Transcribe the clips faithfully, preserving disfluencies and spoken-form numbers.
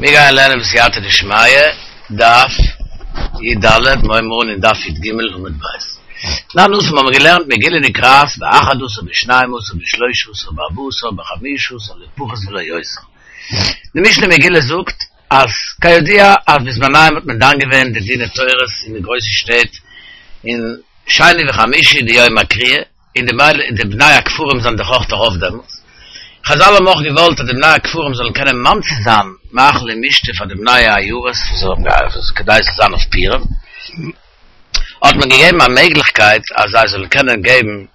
מיר גייען לערנען בסייעתא דשמיא, דף י"ד, מיר הייבן אן אין דף י"ג עמוד ב'. תנן התם האבן מיר געלערנט מגילה נקראת באחד עשר בשנים עשר בשלושה עשר בארבעה עשר בחמשה עשר לא פחות ולא יותר. די משנה מגילה זאגט אז כידוע אז בזמניהם האט מען דן געווען די דיני תורות אין די גרויסע שטעט אין שני וחמישי די יום הקריאה, און די די בני הכפרים זענען דאך אויך ארויף דעמאלטס. חזל האבן אויך געוואלט אז די בני הכפרים זאלן קענען ממציא זיין מאכל און משתה פאר די בני העיירות וואס האבן געהאט כדי ס'זאל זיין אויף פורים, האט מען געגעבן א מעגליכקייט אז זיי זאלן קענען געבן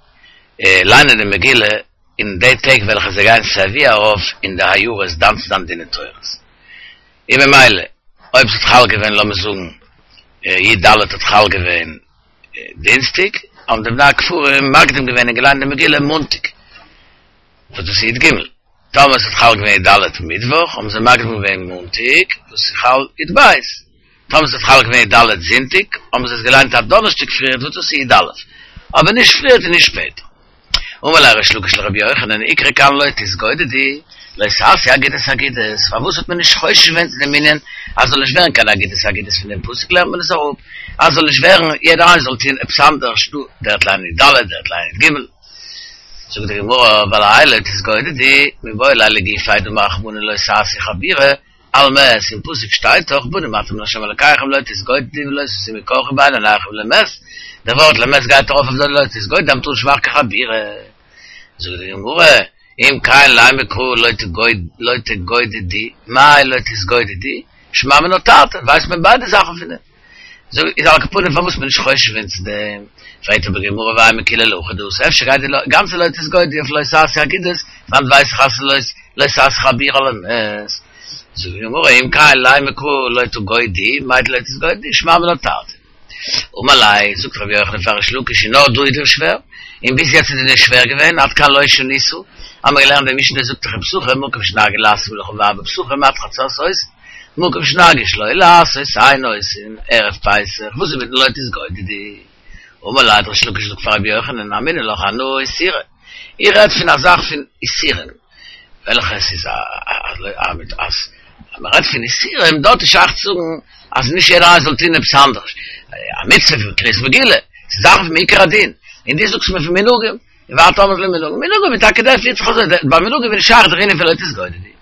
ליינען די מגילה אין די טעג וועלכע זיי גייען סייווי ארויף אין די עיירות דן צו זיין דיני תורות. און ממילא אויב ס'האט חל געווען לאמיר זאגן י"ד האט חל געווען דינסטאג, האבן די בני הכפרים מקדים געווען און געליינט די מגילה מאנטאג, וואס דאס איז י"ג. טאמער ס'האט חל געווען י"ד מיטוואך, האבן זיי מקדים געווען מאנטאג, וואס איז חל י"ב. טאמער ס'האט חל געווען י"ד זונטאג, האבן זיי עס געליינט א דאנערשטאג פריערט, וואס דאס איז י"א. אבער נישט פריערט און נישט שפעטער. אמר ליה ריש לקיש לרבי יוחנן, איקרי כאן לא תתגודדו, לא תעשו אגודות אגודות, פארוואס האט מען נישט חושש געווען צו דעם ענין אז זאל נישט ווערן קיין אגודות אגודות פון דעם פסוק לערנט מען עס אראפ אז זאל נישט ווערן יעדער איינער זאל טוהן עפעס אנדערש דא דער וועט ליינען י"ד דער וועט ליינען י"ג זאגט די גמרא ווייל האי לא תתגודדו מיבעי ליה לגופיה דאמר רחמנא לא תעשו חבורה על מת אין פסוק שטייט דאך בנים אתם לה' אלקיכם לא תתגודדו ולא תשימו קרחה בין עיניכם למת דער ווארט למת גייט ארויף אויף די לא תתגודדו אז מ'טאר נישט מאכן קיין חבורה זאגט די גמרא אם כן לימא קרא לא תגודדו מאי לא תתגודדו שמע מינה תרתי ווייסט מען ביידע זאכן פון דעם זאג איז על כל פנים פארוואס מען נישט חושש געווען צו דעם פרעגט אבער גמרא ואימא כולה להכי דאתא אפשר גייט די גאנצע לא תתגודדו אויף לא תעשו אגודות וואנעט ווייס איך אז ס'איז לא תעשו חבורה למת זאגט די גמרא אם כן לימא קרא לא תגודו מאי לא תתגודדו שמע מינה תרתי אמר ליה זאגט רבי יוחנן פאר ריש לקיש און נאר דא איז דיר שווער און ביז יעצט איז דיר נישט שווער געווען עד כאן לא שנית האמיר געלערנט די משנה זאגט דאך אין פסחים מקום שנהגו לעשות מלאכה בערבי פסחים עד חצות עושין מקום שנהגו שלא לעשות אין עושין ערב פסח וואס איז מיטן לא תתגודדו אמר ליה האט ריש לקיש געזאגט פאר רבי יוחנן אמינא לך אנא איסורא איך רעד פון א זאך פון איסורים וועלכע עס איז א א מיט אז מען רעדט פון איסורים דארט איז שייך צו זאגן אז נישט יעדער איינער זאל טון עפעס אנדערש א מצוה פון קריאת מגילה ס'איז זאכן פון מעיקר הדין און דו זאגסט מיר פון מנהגים און ואת אמרת לי מנהגים מנהגים איז טאקע דער פירט זיך אזוי ביי מנהגים איז נישט שייך דער ענין פון לא תתגודדו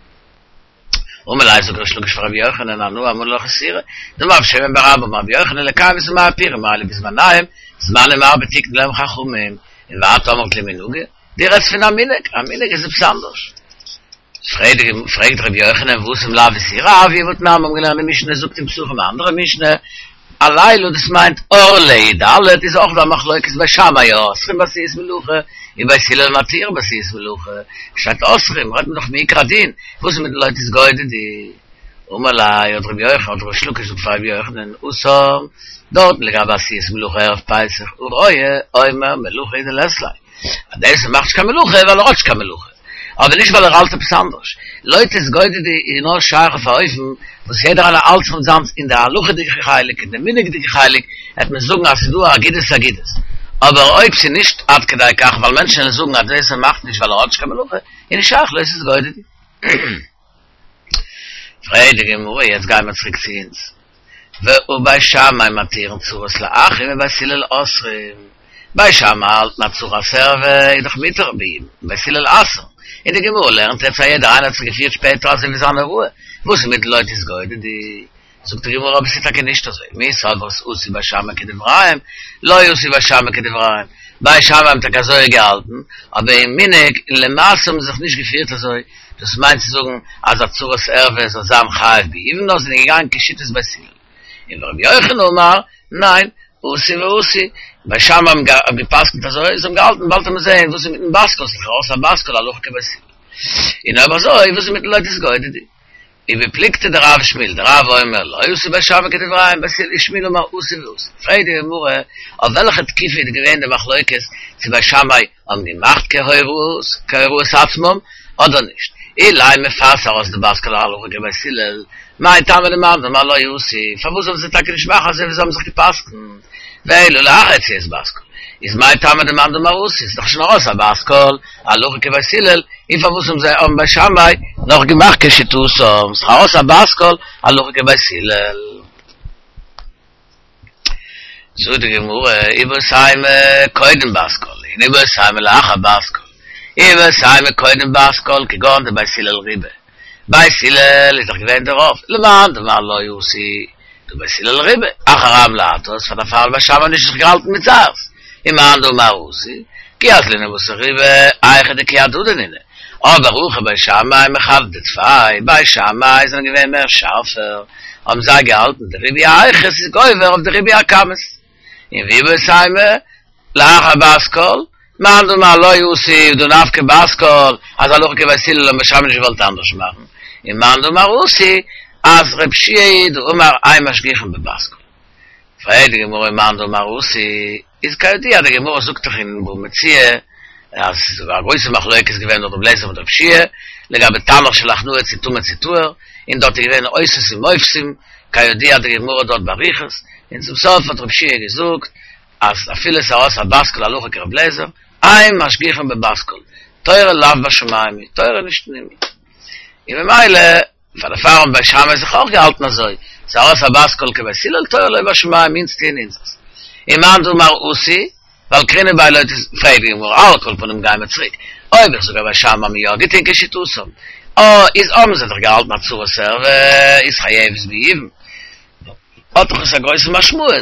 אמר ליה זאגט ריש לקיש פאר רבי יוחנן אנא אמינא לך איסורא דאמר רב שמן בר אבא אמר רבי יוחנן לקיים את ימי הפורים האלו בזמניהם זמנים הרבה תיקנו להם חכמים און ואת אמרת לי מנהגים דו רעדסט פון א מנהג א מנהג איז עפעס אנדערש פרעגט רבי יוחנן והתם לאו איסורא הואי והתנן האבן געלערנט די משנה זאגט אין פסחים א אנדערע משנה הלילה דאס מיינט אור לי"ד איז אויך דא א מחלוקת בית שמאי אוסרים בעשיית מלאכה און בית הלל מתירים בעשיית מלאכה שטייט אוסרים רעדט מען דאך מעיקר הדין וואס איז מיט לא תתגודדו אמר ליה האט רבי יוחנן האט ריש לקיש געזאגט פאר רבי יוחנן התם דארטן לגבי עשיית מלאכה ערב פסח הרואה אומר מלאכה הוא דלית ליה אז דער וואס מאכט נישט קיין מלאכה ווייל ער האט נישט קיין מלאכה, אבער נישט ווייל ער האלט עפעס אנדערש. לא תתגודדו איז נאר שייך אויף א אופן וואס יעדער איינער האלט זיך מיט זיינס אין די הלכה'דיגע חלק און די מנהג'דיגע חלק העט מען זאגן אז ס'איז דא אגודות אגודות, אבער אויב ס'איז נישט עד כדי כך ווייל מענטשן וועלן זאגן אז דער וואס מאכט נישט ווייל ער האט נישט קיין מלאכה איז נישט שייך לא תתגודדו. פרעגט די גמרא יעצט גיימער צוריק צו אונז. והא בית שמאי מתירין צרות לאחים ובית הלל אוסרים, בית שמאי האלטן אז צרת ערווה איז דאך מותר ביבום, בית הלל אסר'ן, און די גמרא לערנט יעצט אז יעדער איינער האט זיך געפירט שפעטער אזוי ווי זיין הוראה, וואס איז מיט לא תתגודדו? זאגט די גמרא אבער ס'איז טאקע נישט אזוי, מי סברת עשו בית שמאי כדבריהם, לא עשו בית שמאי כדבריהם, בית שמאי האבן טאקע אזוי געהאלטן, אבער אין מנהג און למעשה האבן זיי זיך נישט געפירט אזוי, דאס מיינט צו זאגן אז א צרת ערווה זאל זיין חייב ביבום נאר זענען געגאנגען כשיטת בית הלל. און ורבי יוחנן אמר, ניין, עשו ועשו, בית שמאי האבן גע'פסק'נט אזוי, זיי האבן געהאלטן באלד וועט מען זעהן וואס איז מיטן בת קול, ס'איז לכאורה א בת קול הלכה כבית הלל. און אויב אזוי וואס איז מיטן לא תתגודדו? ובפלוגתא דרב ושמואל, דרב אומר לא עשו בית שמאי כדבריהם, ושמואל אמר עשו ועשו. פרעגט די גמרא, אויף וועלכע תקופה איז געווען די מחלוקת צו בית שמאי האבן געמאכט כהוראות כהוראת עצמם אדער נישט? אילימא פאר ס'איז ארויס די בת קול הלכה כבית הלל, מאי טעמא למאן דאמר לא עשו, פארוואס זאלן זיי טאקע נישט מאכן אזוי ווי זיי האבן זיך גע'פסק'נט? ואלא לאחר יציאת בת קול, איז מאי טעמא דמאן דאמר עשו, ס'איז דאך שוין ארויס א בת קול, הלכה כבית הלל, און פארוואס האבן זיי האבן בית שמאי נאך געמאכט כשיטתם, ס'איז א בת קול, הלכה כבית הלל. זאגט די גמרא, איבעית אימא קודם בת קול, און איבעית אימא לאחר בת קול. איבעית אימא קודם בת קול, כגון דבית הלל ריבא. בית הלל איז דאך געווען דער רוב, למאן דאמר לא אתו, דבית הלל ריבא, אחר רבים להטות, פאר דערפאר בית שמאי נישט זיך געהאלטן מיט זייערס. ומאן דאמר אתו, כי אזלינן בתר ריבא, היכא דכי הדדי נינהו. אבער הכא בית שמאי מחדדי טפי, בית שמאי זענען געווען מער שארפער, האבן זיי געהאלטן די ריבוי האיכות איז גובר אויף די ריבוי הכמות. און ואיבעית אימא, לאחר בת קול, מאן דאמר לא אתו דהא נפקא בת קול, אז הלכה כבית הלל האבן בית שמאי נישט געוואלט אנדערש מאכן, און מאן דאמר אתו, אז רב שיע דאמר אין משגיחין בבת קול. פרעגט די גמרא מאן דאמר אתו, איז כידוע די גמרא זאגט דאך אין בבא מציעא אז ס'איז א גרויסע מחלוקת געווען דורך רבי אליעזר מיט רב שיע לגבי תנור של הכנעה צו טמא צו טהור, און דארט איז געווען אותות ומופתים, כידוע די גמרא דארט באריכות, און צום סוף האט רב שיע געזאגט אז אפילו ס'ארויס א בת קול הלכה כרבי אליעזר, אין משגיחין בבת קול, תורה לאו בשמים היא, תורה איז נישט אין הימל. און ממילא פאר דערפאר האבן בית שמאי זיך אויך געהאלטן אזוי, ס'ארויס א בת קול כבית הלל, תורה לא בשמים, אונז טוען אונזערס. און מאן דאמר אתו, ווייל קרינא ביה לא תס, פרעגט די גמרא, על כל פנים גייען מיר צוריק, אויב איך זאג אז בית שמאי האבן יא געטון כשיטתם, אה, איז האבן זיי דאך געהאלטן אז צרת ערווה איז חייבת ביבום, האט דאך עס א גרויסע משמעות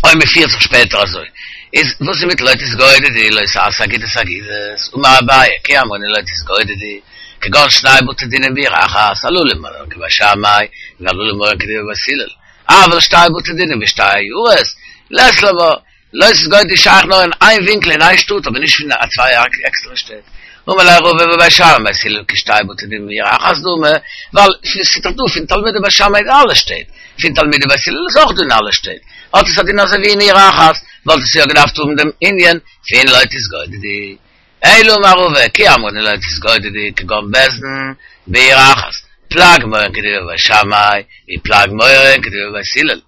אויב מען פירט זיך שפעטער אזוי, איז וואס איז מיט לא תתגודדו לא תעשה אגודות אגודות, אמר אביי כי אמרינן לא תתגודדו, כגון שני בתי דינים בעיר אחת, הללו מורין כבית שמאי, והללו מורין כדברי בית הלל, אבל שתי בתי דינים בשתי עיירות, לית לן בה, לא תתגודדו שייך נאר אין איין ווינקל אין איין שטאט אבער נישט פון צוויי עקסטערע שטעט. אמר ליה רבא ובית שמאי ובית הלל כשתי בתי דין בעיר אחת דמי, ווייל ס'איז דאך דא פון תלמידי בית שמאי אין אלע שטעט, פון תלמידי בית הלל איז אויך דא אין אלע שטעט, האט עס א דין אזוי ווי אין עיר אחת, וואלט עס יא געדארפט האבן דעם ענין פון לא תתגודדו. אלא אמר רבא כי אמרינן לא תתגודדו כגון בית דין בעיר אחת, פלג מורין כדברי בית שמאי, ופלג מורין כדברי בית הלל,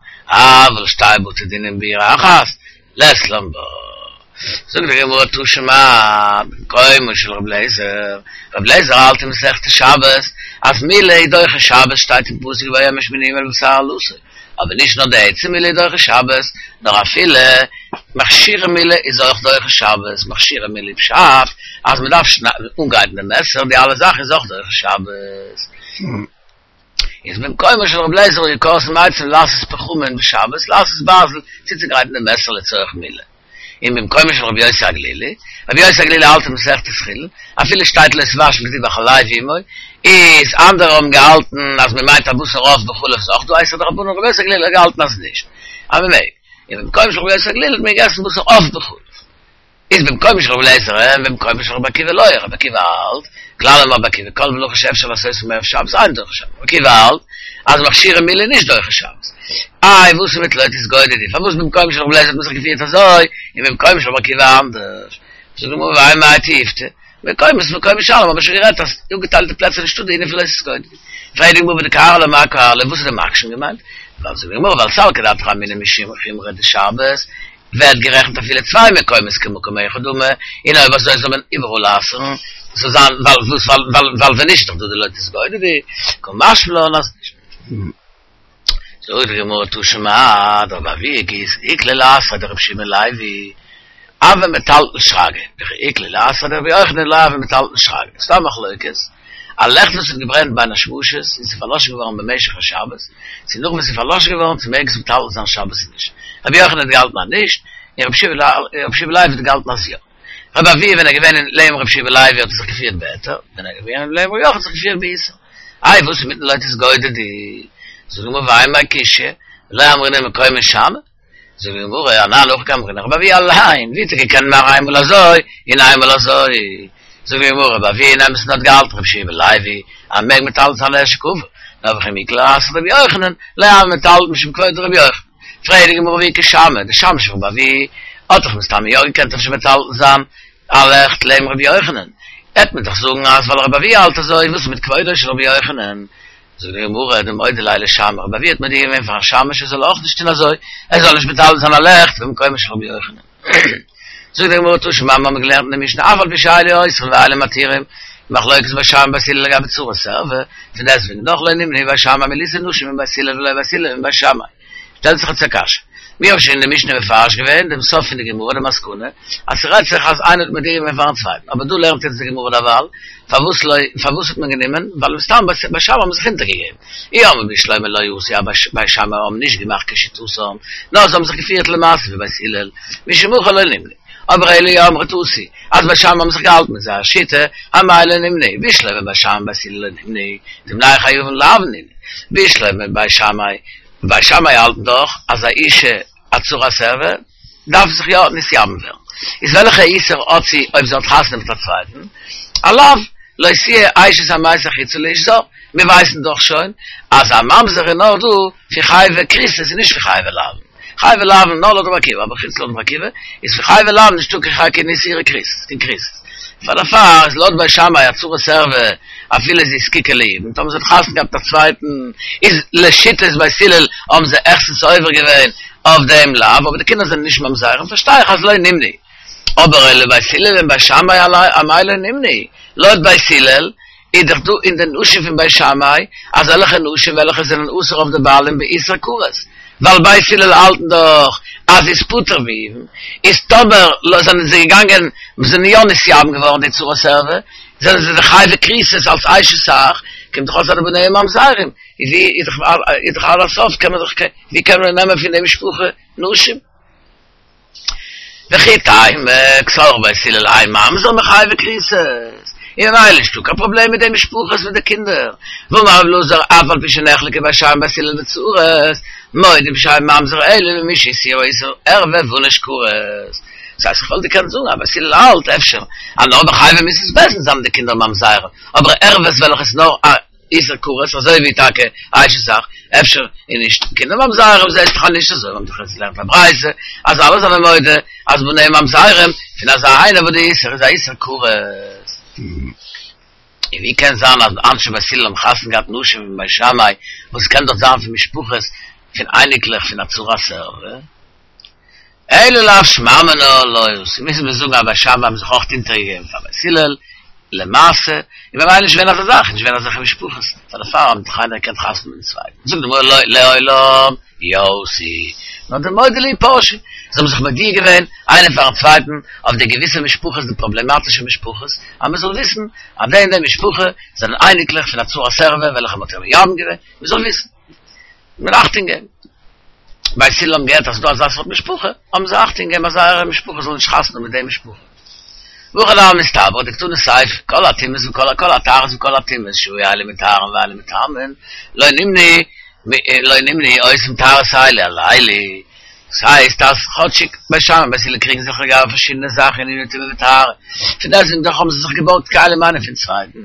אבל שתי בתי דינים בעיר אחת, לית לן בה. זאגט די גמרא תא שמע, במקומו של רבי אליעזר, רבי אליעזר האלט אין מסכת שבת אז מילה איז דוחה שבת שטייט אין פסוק וביום השמיני ימול בשר ערלתו, אבער נישט נאר די עצם מילה איז דוחה שבת, נאר אפילו מכשירי מילה איז אויך דוחה שבת, מכשירי מילה פשט אז מען דארף אנגרייטן די מעסער, די אלע זאכן איז אויך דוחה שבת. איז במקומו של רבי אליעזר היו כורתין עצים לעשות פחמין בשבת, לעשות ברזל, צוצוגרייטן די מעסער לצורך מילה. און במקומו של רבי יוסי הגלילי, רבי יוסי הגלילי האלט אין מסכת חולין, אפילו שטייט לא תבשל גדי בחלב אמו, איז אנדערע האבן געהאלטן אז מען מיינט א בשר עוף בחלב איז אויך דא איסור דרבנן, רבי יוסי הגלילי האט געהאלטן אז נישט, אז מען מעג. און במקומו של רבי יוסי הגלילי האט מען געגעסן בשר עוף בחלב. איז במקומו של רבי אליעזר אין, במקומו של רבי עקיבא לא, רבי עקיבא האלט, כלל אמר רבי עקיבא, כל מלאכה שאפשר לעשותה מערב שבת אינה דוחה שבת, רבי עקיבא האלט אז מכשירי מילה איז נישט דוחה שבת. איי וואס איז מיט לא תתגודדו, פארוואס במקומו של רבי אליעזר האט מען זיך געפירט אזוי, און במקומו של רבי עקיבא אנדערש? זאגט די גמרא והאי מאי תיובתא, מקומות מקומות שאני, האבן מיר שוין גערעדט אז אפגעטיילטע פלעצער נישטא די ענין פון לא תתגודדו. פרעגט די גמרא ודקארי לה מאי קארי לה, וואס האט די מקשן געמיינט? ווייל זאגט די גמרא ווייל סלקא דעתך אמינא משום חומרא דשבת, ווערט גערעכנט אפילו צוויי מקומות כמקום אחד דמי, און אויב אזוי זאל מען איבעראל אסר'ן, זאל זיין ווייל וואס ווייל ווייל ווען נישט איז דאך דא די לא תתגודדו, קא משמע לן אז נישט. זאגט די גמרא תא שמע, דרבי אבהו כי איקלע לאתריה דרבי יהושע בן לוי, הוה מטלטל שרגא, וכי איקלע לאתריה דרבי יוחנן לא הוה מטלטל שרגא, ס'דא א מחלוקת, א לעכט וואס האט געברענט בין השמשות און ס'איז פארלאשן געווארן במשך השבת, צו נאך וואס ס'איז פארלאשן געווארן צו מעג עס מטלטל זיין שבת צו נישט. רבי יוחנן האט געהאלטן אז נישט, און רבי יהושע בן לוי האט געהאלטן אז יא. רבי אבהו ווען ער איז געווען אין לעבן רבי יהושע בן לוי האט ער זיך געפירט בהיתר, ווען ער איז געווען אין לעבן רבי יוחנן האט ער זיך געפירט באיסור. איי וואס איז מיטן לא תתגודדו? זאגט די גמרא והאי מאי קושיא, ולא אמרינן מקומות שאני. זאגט די גמרא, אנן הכי קאמרינן, רבי אבהו אליין, ווי האט ער געקענט מאכן איינמאל אזוי און איינמאל אזוי? זאגט די גמרא, רבי אבהו אין אמת'ן האט געהאלטן רבי יהושע בן לוי אז מ'מעג מטלטל זיין לערשט קבר, נאר וכי איקלע לאתריה דרבי יוחנן, לא הוה מטלטל משום כבוד דרבי יוחנן. פרעגט די גמרא והא איכא שמעא, די שמש פון רבי אבהו האט דאך מסתמא יא געקענט אפשר מטלטל זיין א לעכט לעבן רבי יוחנן, העט מען דאך זאגן אז ווייל רבי אבהו האלט אזוי, וואס איז מיט כבודו של רבי יוחנן? זאגט די גמרא, דמודי ליה לשמעיה, רבי אבהו האט מודיע געווען פארן שמש ער זאל אויך נישט טון אזוי, ער זאל נישט מטלטל זיין א לעכט במקומו של רבי יוחנן. זאגט די גמרא תא שמע מיר האבן געלערנט אין די משנה אף על פי שאלו אוסרין ואלו מתירים מחלוקת בית שמאי ובית הלל לגבי צרת ערוה פון דעסטוועגן דאך לא נמנעו בית שמאי מלישא נשים מבית הלל ולא בית הלל מבית שמאי שטעלט זיך יעצט א קשיא מיר האבן שוין אין די משנה מפרש געווען דעם סוף פון די גמרא די מסקנא אז ס'רעדט זיך אז איינער האט מודיע געווען פארן צווייטן אבער דא לערנט יעצט די גמרא דערווייל פארוואס לא פארוואס האט מען גענומען ווייל מסתם בית שמאי האבן זיך אונטערגעגעבן אי אמרת בשלמא לא אתו אז בית שמאי האבן נישט געמאכט כשיטתם נאר זיי האבן זיך געפירט למעשה ווי בית הלל משום הכי לא נמנעו אבער אלא אי אמרת אתו אז בית שמאי האבן זיך געהאלטן מיט זייער שיטה אמאי לא נמנעו בשלמא בית שמאי ובית הלל לא נמנעו דבני חייבין לאו נינהו בשלמא בית שמאי בית שמאי האלטן דאך אז א אישה א צרת ערוה דארף זיך יא נתייבם ווערן. איז וועלכע איסור האט זי אויב זי האט חתונה מיט א צווייטן? א לאו לא תהיה אשת המת החוצה לאיש זר. מיר ווייסן דאך שוין אז א ממזר איז נאר דא פון חייבי כריתות און נישט פון חייבי לאוין. חייבי לאוין נאר לויט רבי עקיבא, אבער חוץ לויט רבי עקיבא איז פון חייבי לאוין נישטא קיין איסורי כריתות, קיין כריתות. פאר דערפאר איז לויט בית שמאי א צרת ערוה אפילו זי איז זקוקה ליבום, טאמער זי האט חתונה געהאט מיט א צווייטן איז לשיטת בית הלל האבן זיי העכסטנס עובר געווען אויף דעם לאו, אבער די קינדער זענען נישט ממזרים פארשטיי איך אז לא נמנעו. אבער אלא בית הלל מבית שמאי אמאי לא נמנעו, לויט בית הלל איז דאך דא אין די נשים פון בית שמאי אזעלכע נשים וועלכע זענען אסור אויף די בעלים באיסור כרת, ווייל בית הלל האלטן דאך אז זי איז פטור מיבום, איז טאמער זענען זיי געגאנגען זענען יא נתייבם געווארן די צרת ערוה, זענען זיי דאך חייבי כריתות אלס אשת אח, קומט דאך אויס אז די בניהם ממזרים, איז ווי איז דאך עד הסוף קען מען דאך ווי קען מען נעמען פון די משפחה נשים? וכי תימא קסבר בית הלל אין ממזר מחייבי כריתות, און ממילא נישטא קיין פראבלעם מיט די משפחות מיט די קינדער, והאמר רבי אלעזר אף על פי שנחלקו בית שמאי ובית הלל בצרות, מודים שאין ממזר אלא במי שהסירו איסור ערווה ועונש כרת. דאס הייסט איך וואלט געקענט זאגן אז בית הלל האלט אפשר אז נאר ביי חייבי מיתות בית דין זענען די קינדער ממזרים, אבער ערוות וועלכע איז נאר א איסור כרת אזוי ווי טאקע אשת אח, אפשר איז נישט קינדער ממזרים, זעהסט דאך אז נישט אזוי, מ'האט דאך יעצט געלערנט א ברייתא אז אלע זענען מודה אז בניהם ממזרים פון אזא איינער וואס די איסור איז א איסור כרת. און ווי קען זיין אז אנשי בית הלל האבן חתונה געהאט נשים פון בית שמאי וואס קען דאך זיין פון משפחות פון אייניקלעך פון א צרת ערוה? אלא לאו שמע מינה לא אתו, מוזן מיר זאגן אז בית שמאי האבן זיך אויך אונטערגעגעבן פאר בית הלל למעשה, און ממילא נישט געווען אזא זאך, נישט געווען אזעלכע משפחות, פאר דערפאר האבן דאך איינער געקענט חתונה מיטן צווייטן, זאגט די גמרא לא לעולם אי אתו, נאר דמודעי להו פרשי, זיי האבן זיך מודיע געווען איינער פארן צווייטן אויף די געוויסע משפחות די פראבלעמאטישע משפחות, אז מען זאל וויסן אז די און די משפחה זענען אייניקלעך פון א צרת ערוה וועלכע מען האט מייבם געווען, מען זאל וויסן. מען אכטונג געבן. בית הלל האבן געהערט אז ס'איז דא אזא סארט משפחה, האבן זיי אכטונג געגעבן אז זייער משפחה זאל נישט חתונה מיט די משפחה. והכי נמי מסתברא דקתני סיפא, כל הטומאות וכל כל הטהרות וכל הטומאות שהיו אלו מטהרין ואלו מטמאין, לא נמנעו לא נמנעו עושים טהרות אלו על אלו. דאס הייסט אז כאטשיג בית שמאי און בית הלל קריגן זיך לגבי פארשידענע זאכן אין עניני טומאה וטהרה, פון דעסטוועגן דאך האבן זיי זיך געבארגט כלים איינער פון צווייטן.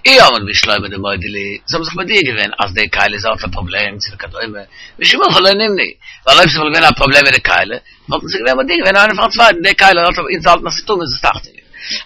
אי אמרת בשלמא דמודעי להו, זיי האבן זיך מודיע געווען אז די כלי איז האט א פראבלעם צו וכדומה, משום הכי לא נמנעו, ווייל אויב ס'וואלט געווען א פראבלעם מיט די כלי, וואלטן זיי געווען מודיע געווען איינער פארן צווייטן, די כלי האט אונז האלטן אז ס'איז טמא זאלסט אכטונג געבן.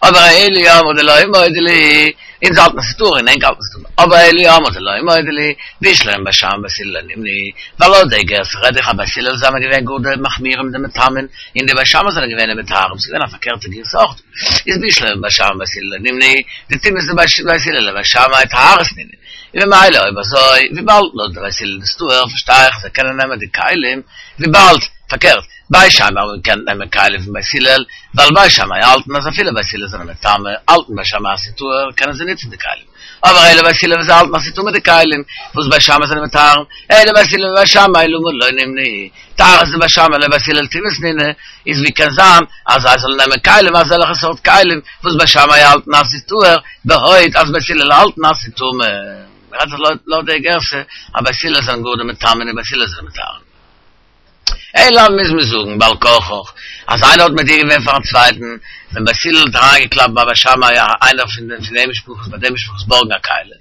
אבער אלא אי אמרת דלא מודעי להו, אונז האלטן אז ס'איז טהור און ענק האלטן ס'איז טמא, אבער אלא אי אמרת דלא מודעי להו, בשלמא בית שמאי ובית הלל לא נמנעו, ווייל לויט די גרסה רעד איך אז בית הלל זענען געווען גאר די מחמירים די מטמאין, און די בית שמאי זענען געווען די מטהרים, ס'איז געווען א פארקערטע גירסא אויך דא. איז בשלמא בית שמאי ובית הלל לא נמנעו, דטומאות דבית הלל לבית שמאי טהרות נינהו. און ממילא אויב אזוי, וויבאלד לויט די בית הלל איז טהור, פארשטיי איך אז זיי קענען נעמען די כלים, וויבאלד, פארקערט, בית שמאי האבן געקענט נעמען כלים פון בית הלל, ווייל בית שמאי האלטן אז אפילו בית הלל זענען מטמא, האלטן בית שמאי אז ס'איז טהור, קענען זיי נוצן די כלים. אבער אלא בית הלל וואס זיי האלטן אז ס'איז טמא די כלים, וואס בית שמאי זענען מטהר, אלא בית הלל מבית שמאי למה לא נמנעו, טהרות דבית שמאי לבית הלל טומאות נינהו, איז ווי קען זיין אז זיי זאלן נעמען כלים אזעלכע סארט כלים וואס בית שמאי האלטן אז ס'איז טהור, בעוד אז בית הלל האלטן אז ס'איז טמא. מ'רעדט זיך לויט די גרסה אז בית הלל זענען גאר די מטמאין און בית הלל זענען מטהר. אלא מוז מען זאגן בעל כרחך אז איינער האט מודיע געווען פארן צווייטן, ווען בית הלל האט אריינגעקלאפט ביי בית שמאי איינער פון די משפחות ביי די משפחות בארגן א כלי,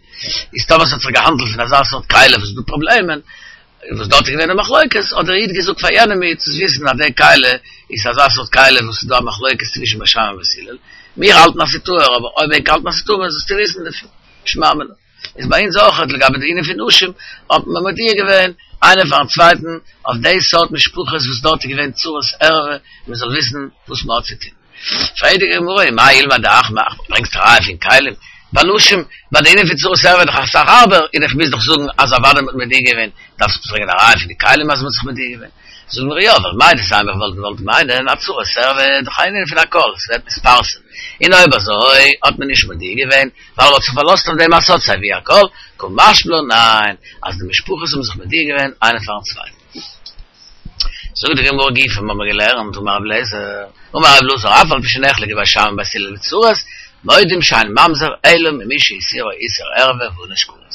איז טאמער ס'האט זיך געהאנדלט פון אזא סארט כלי וואס איז דא פראבלעמען, וואס דארט איז געווען די מחלוקת, האט דער איד געזאגט פאר יענעם איד זאלסט וויסן אז די כלי איז אזא סארט כלי וואס איז דא א מחלוקת צווישן בית שמאי און בית הלל, מיר האלטן אז ס'איז טהור אבער אויב ענק האלטן אז ס'איז טמא זאלסטו וויסן דערפון, שמע מינה. איז ביי אונז אויך לגבי די ענין פון נשים האט מען מודיע געווען איינער פארן צווייטן אויף די סארט משפחות וואס דארט איז געווען צרות ערווה מען זאל וויסן וואס מען האט צו טון. פרעגט די גמרא, מאי אילמא דאח מאח, ברענגסט א ראיה פון כלים? ביי נשים, ביי די ענין פון צרת ערווה איז דאך אסאך הארבער, און איך מוז דאך זאגן אז אוודאי מ'האט מודיע געווען, דארפסט ברענגען א ראיה פון די כלים אז מ'האט זיך מודיע געווען? זאגט די גמרא יא, ווייל מהו דתימא איך וואלט געוואלט מיינען אז צרת ערווה איז דאך א ענין פון הכל, ס'ווערט נתפרסם, און אויב אזוי האט מען נישט מודיע געווען, ווייל מ'האט זיך פארלאזט אויף דעם אז ס'האט סיי ווי א קול, קא משמע לן ניין, אז די משפחות האבן זיך מודיע געווען איינער פארן צווייטן. זאגט די גמרא גופא האבן מיר געלערנט אמר רבי אליעזר, אמר רבי אלעזר אף על פי שנחלקו בית שמאי ובית הלל בצרות, מודים שאין ממזר אלא ממי שאיסורו איסור ערווה וענוש כרת.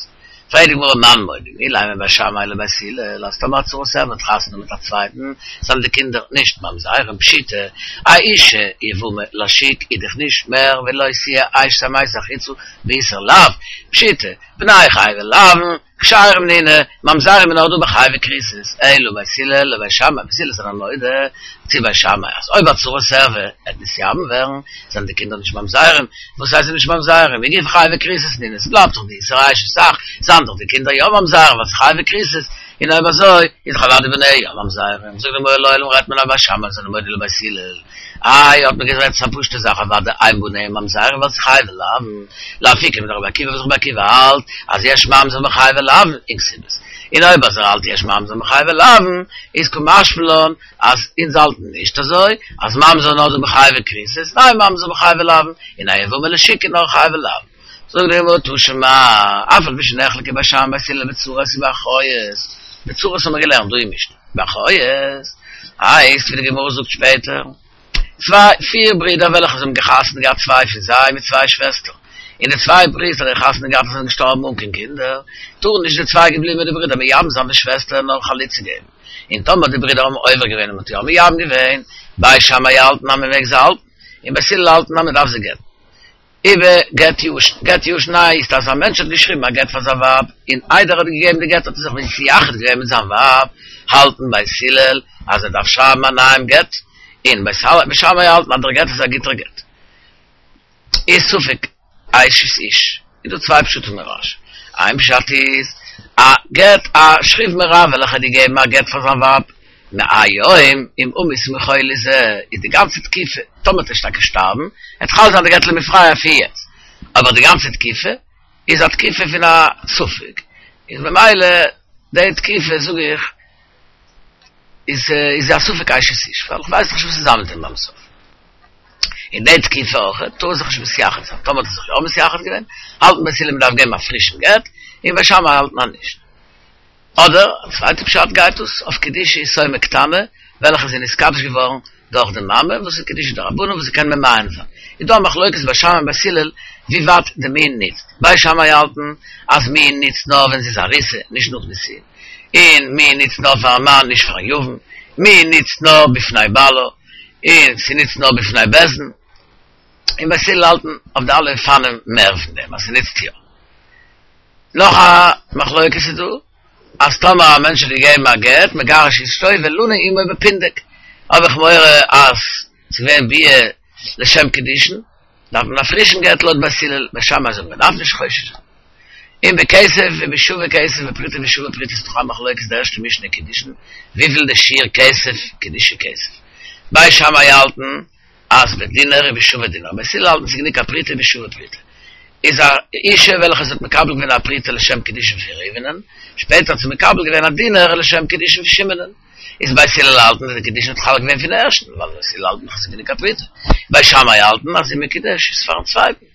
פרעגט די גמרא מאן מודים, אילימא בית שמאי לבית הלל, אז טאמער א צרת ערווה האט חתונה מיט א צווייטן, זענען די קינדער נישט ממזרים, פשיטא, א אישה יבמה לשוק איז דאך נישט מער ווי לא תהיה אשת המת החוצה באיסור לאו, פשיטא, בני חייבי לאוין, כשרים נינהו, ממזרים איז נאר דא ביי חייבי כריתות, אלא בית הלל לבית שמאי, בית הלל זענען מודה צו בית שמאי אז אויב א צרת ערווה וועט נתייבם ווערן, זענען די קינדער נישט ממזרים, וואס הייסט נישט ממזרים? היא גופא חייבי כריתות נינהו, ס'בלייבט דאך די איסור אשת אח, זענען דאך די קינדער יא ממזרים ווייל ס'איז חייבי כריתות, און אויב אזוי איז דאך אוודאי בניה יא ממזרים, זאגט די גמרא לעולם רעדט מען אז בית שמאי זענען מודה לבית הלל, איי האט מען גערעדט ס'איז א פשוטע זאך אוודאי אין בניה ממזרים ווייל ס'איז חייבי לאוין, לאפוקי מדרבי עקיבא וואס רבי עקיבא האלט אז יש ממזר בחייבי לאוין אין כתובות, און אויב אז ער האלט יש ממזר בחייבי לאוין איז קא משמע לן אז אונז האלטן נישט אזוי אז ממזר נאר דא בחייבי כריתות, ניין ממזר בחייבי לאוין, און א יבמה לשוק איז נאר חייבי לאוין. זאגט די גמרא תא שמע, אף על פי שנחלקו בית שמאי ובית הלל בצרות ובאחיות, בצרות האבן מיר געלערנט דא אין משנה, באחיות הייסט ווי די גמרא זאגט שפעטער, צוויי, פיר ברידער וועלכע זיי האבן חתונה געהאט צוויי פון זיי מיט צוויי שוועסטער, און די צוויי ברידער האבן חתונה געהאט און זענען געשטארבן אן קיין קינדער, טארן נישט די צוויי געבליבענע ברידער מייבם זיין די שוועסטער נאר חליצה געבן, און טאמער די ברידער האבן עובר געווען און מ'האט יא מייבם געווען, בית שמאי האלטן אז מ'מעג זיי האלטן, און בית הלל האלטן אז מ'דארף זיי גט'ן. איבער גט ישן, גט ישן הייסט אז א מענטש האט געשריבן א גט פאר זיין ווייב, און איידער ער האט געגעבן די גט האט ער זיך מתייחד געווען מיט זיין ווייב, האלטן בית הלל אז ער דארף שרייבן א נייעם גט, און בית שמאי האלטן אז דער גט איז א גוטער גט. איז ספק אשת איש, איז דא צוויי פשטים אין רש"י, איין פשט איז, א גט א שכיב מרע וועלכער האט געגעבן א גט פאר זיין ווייב, מהיום אם אמות מחולי זה, איז די גאנצע תקופה, טאמער וועט ער טאקע שטארבן, וועט חל זיין די גט למפרע פון יעצט, אבער די גאנצע תקופה איז א תקופה פון א ספק, איז ממילא די תקופה זאג איך איז איז א ספק אשת איש, ווייל איך ווייס נישט וואס איז זיין מיט אים ביים סוף. אין די תקופה אויך טאר ער זיך נישט מתייחד זיין, טאמער האט ער זיך יא מתייחד געווען, האלטן בית הלל מ'דארף געבן א פרישן גט, און בית שמאי האלטן אז נישט. אדער, א צווייטע פשט גייט דאס אויף קידושי יתומה קטנה, וועלכע איז נתקדש געווארן דורך די מאמע, וואס איז קידושי דרבנן וואס זי קען ממאן זיין. איז דא א מחלוקת בית שמאי און בית הלל ווי ווייט די מיאון ניצט. בית שמאי האלטן אז מיאון ניצט נאר ווען זי איז ארוסה, נישט נאך נישואין. און מיאון ניצט נאר פארן מאן, נישט פארן יבם. מיאון ניצט נאר בפני בעלה, און ס'ניצט נאר בפני בית דין. און בית הלל האלטן אויף די אלע אופנים מער פון דעם אז ס'ניצט יא. נאך א מחלוקת איז דא, אז טאמער א מענטש האט געגעבן א גט מגרש אשתו ולנה עמו בפונדק, האב איך מורא אז ס'איז געווען ביאה לשם קידושין, דארף מען א פרישן גט לויט בית הלל, בית שמאי זאגן מען דארף נישט חושש זיין. און בכסף ובשווה כסף בפרוטה ושווה פרוטה איז דאך א מחלוקת די ערשטע משנה אין קידושין, וויפיל די שיעור כסף קידושי כסף. בית שמאי האלטן אז בדינר ובשווה דינר, בית הלל האלטן ס'איז גענוג א פרוטה ושווה פרוטה. איז א אישה וועלכע זי האט מקבל געווען א פרוטה לשם קידושין פון ראובנ'ן, שפעטער האט זי מקבל געווען א דינר לשם קידושין פון שמעונ'ן. איז בית הלל האלטן אז די קידושין האט חל געווען פון ערשטן, ווייל בית הלל האלטן אז ס'איז גענוג א פרוטה. בית שמאי האלטן אז זי מקודשת פארן צווייטן.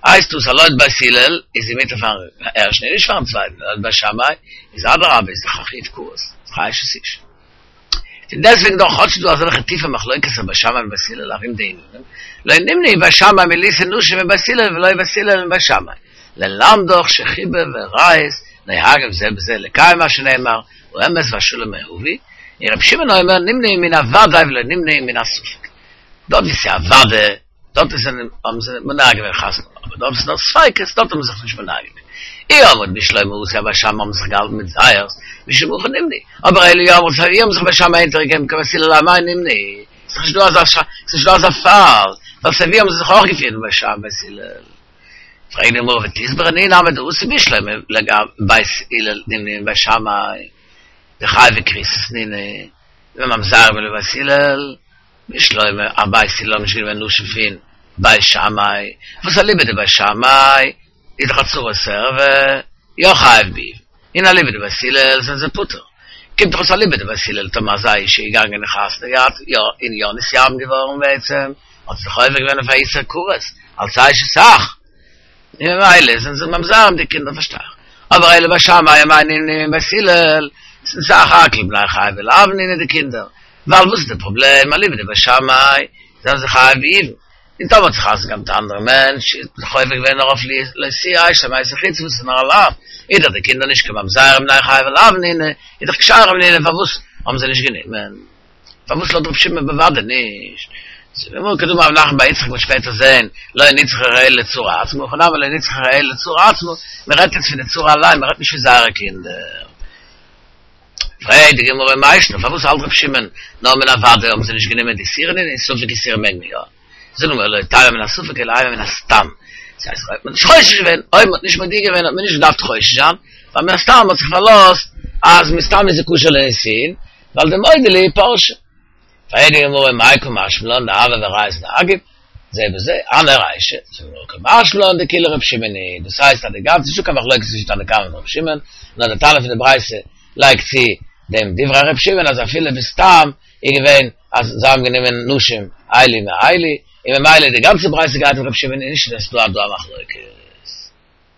הייסט דאס אז לויט בית הלל איז זי מותר פארן ערשטן און נישט פארן צווייטן, לויט בית שמאי איז אדרבה איז דאך א חיוב כרת, איז דאך א אשת איש. פון דעסטוועגן דאך כאטש ס'איז דא אזעלכע טיפע מחלוקת'ער בית שמאי און בית הלל ארום די ענינים, לא נמנעו בית שמאי מלישא נשים מבית הלל ולא בית הלל מבית שמאי, ללמדך שחיבה ורעות נוהגים זה בזה לקיים מה שנאמר האמת והשלום אהבו, און רבי שמעון אומר נמנעו מן הוודאי ולא נמנעו מן הספק. דארט ווי ס'איז א וודאי, דארט איז האבן זיי מונע געווען חתונה, אבער דארט ווי ס'איז נאר ספיקות, דארט האבן זיי זיך נישט מונע געווען. אי אמרת בשלמא התם בית שמאי האבן זיך געהאלטן מיט זייערס, משום הכי נמנעו, אבער אלא אי אמרת סיי ווי האבן זיך בית שמאי אונטערגעגעבן כבית הלל אמאי נמנעו, ס'איז נישט דא אזא ס'איז נישט דא אזא פאל, ווייל סיי ווי האבן זיי זיך אויך געפירט ווי בית שמאי בית הלל. פרעגט די גמרא ותסברא תנהו נמי דאתו בשלמא לגבי בית הלל נמנעו מבית שמאי דחייבי כריתות נינהו וממזרים לבית הלל. בשלמא אז בית הלל האבן נישט גענומען נשים פון בית שמאי, וואס אליבא דבית שמאי איז דאך א צרת ערווה יא חייב ביבום, און אליבא דבית הלל זענען זיי פטור, קומט דאך אויס אליבא דבית הלל טאמער אזא אישה איז געגאנגען און חתונה געהאט יא און יא נתייבם געווארן בעצם האט זי דאך עובר געווען אויף א איסור כרת אלס אשת אח, און ממילא זענען זיי ממזרים די קינדער פארשטיי איך, אבער אלא בית שמאי אמאי נמנעו מבית הלל, ס'איז סך הכל בני חייבי לאוין נינהו די קינדער, ווייל וואס איז די פראבלעם אליבא דבית שמאי זענען זיי חייב ביבום, און טאמער האט זי חתונה געהאט מיט א אנדערע מענטש איז זי דאך עובר געווען נאר אויף לא תהיה אשתו אשת חוץ וואס איז נאר א לאו, איז דאך די קינדער נישט קיין ממזרים בני חייבי לאוין נינהו, איז דאך כשרים נינהו פארוואס האבן זיי נישט גענומען? פארוואס לויט ר' שמעון בוודאי נישט? זאגט די גמרא כדאמר רב נחמן בר יצחק מ'וועט שפעטער זעהן לא נצרכה אלא לצרה עצמה הכא נמי לא נצרכה אלא לצרה עצמה, מען רעדט יעצט פון די צרה אליין מען רעדט נישט פון זייערע קינדער. פרעגט די גמרא מאי שנא פארוואס האלט ר' שמעון נאר מן הוודאי האבן זיי נישט גענומען דאיסורא נינהו און ספק איסורא מעג מען יא? זאגט די גמרא לא תימא מן הספק אלא אימא מן הסתם, דאס הייסט אויב מען האט נישט חושש געווען, אויב מען האט נישט מודיע געווען האט מען נישט געדארפט חושש זיין, ווייל מן הסתם האט זיך פארלאזט אז מסתם איז זי כשר לנישואין, ווייל דמודעי להו פרשי. פרעגט די גמרא מאי קא משמע לן דהוה בעריות נהגי זה בזה, אנא רישא, זאגט די גמרא קא משמע לן דכולה ר' שמעון היא, דאס הייסט אז די גאנצע נישטא קיין מחלוקת צווישן תנא קמא און ר' שמעון, נאר די תנא פון די ברייתא לייגט צו דעם דברי ר' שמעון אז אפילו בסתם איז געווען אז זיי האבן גענומען נשים אלו מאלו, און ממילא די גאנצע ברייתא גייט אויף ר' שמעון און נישט אז ס'איז דא דא א מחלוקת.